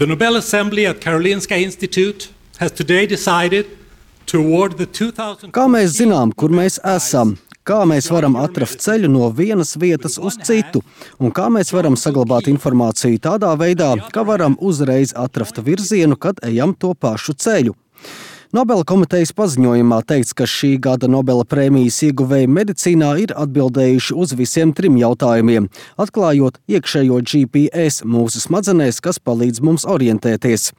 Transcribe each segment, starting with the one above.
The Nobel Assembly at Karolinska Institute has today decided to award the 2000. Kā mēs zinām, kur mēs esam? Kā mēs varam atrast ceļu no vienas vietas uz citu? Un kā mēs varam saglabāt informāciju tādā veidā, ka varam uzreiz atrast virzienu, kad ejam to pašu ceļu? Nobela komitejas paziņojumā teikts, ka šī gada Nobela prēmijas ieguvēji medicīnā ir atbildējuši uz visiem 3 jautājumiem, atklājot iekšējo GPS mūsu smadzenēs, kas palīdz mums orientēties.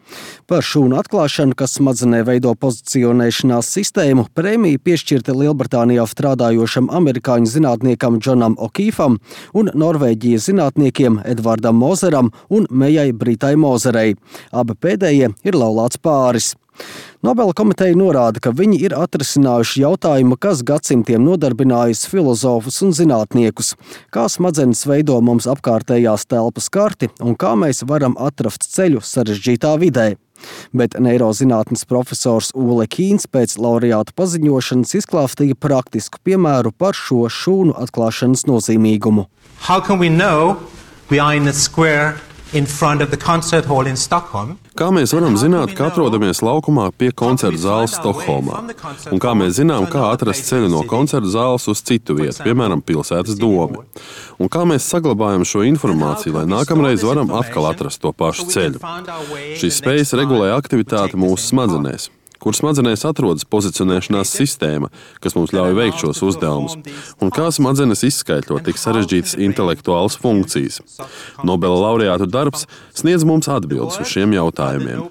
Par šūnu atklāšanu, kas smadzenē veido pozicionēšanās sistēmu, prēmija piešķirta Lielbritānijā strādājošam amerikāņu zinātniekam Džonam O'Keefam un Norvēģijas zinātniekiem Edvardam Mozeram un Mejai Britai Mozerei. Abi pēdējie ir laulāts pāris. Nobela komiteja norāda, ka viņi ir atrisinājuši jautājumu, kas gadsimtiem nodarbinājis filozofus un zinātniekus, kā smadzenes veido mums apkārtējās telpas karti un kā mēs varam atrast ceļu sarežģītā vidē. Bet neirozinātnes profesors Ule Kīns pēc laureāta paziņošanas izklāstīja praktisku piemēru par šo šūnu atklāšanas nozīmīgumu. How can we know we are in a square in front of the concert hall in Stockholm? Kā mēs varam zināt, ka atrodamies laukumā pie koncerta zāles Stokholmā? Un kā mēs zinām, kā atrast ceļu no koncerta zāles uz citu vietu, piemēram, pilsētas domi? Un kā mēs saglabājam šo informāciju, lai nākamreiz varam atkal atrast to pašu ceļu? Šīs spējas regulē aktivitāti mūsu smadzenēs, kur smadzenēs atrodas pozicionēšanās sistēma, kas mums ļauj veikt šos uzdevumus, un kā smadzenes izskaidro tik sarežģītas intelektuālas funkcijas. Nobela laureātu darbs sniedz mums atbildes uz šiem jautājumiem.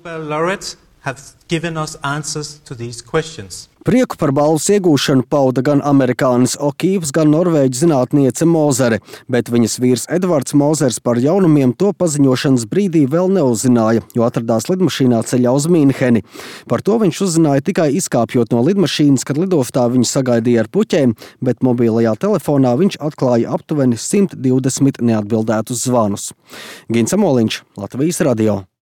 Prieku par balvas iegūšanu pauda gan amerikānis O'Keefs, gan norvēģu zinātniece Mozere, bet viņas vīrs Edvards Mozers par jaunumiem to paziņošanas brīdī vēl neuzzināja, jo atradās lidmašīnā ceļā uz Mīnheni. Par to viņš uzzināja tikai izkāpjot no lidmašīnas, kad lidostā viņu sagaidīja ar puķēm, bet mobilajā telefonā viņš atklāja aptuveni 120 neatbildētus zvanus. Gins Amoliņš, Latvijas radio.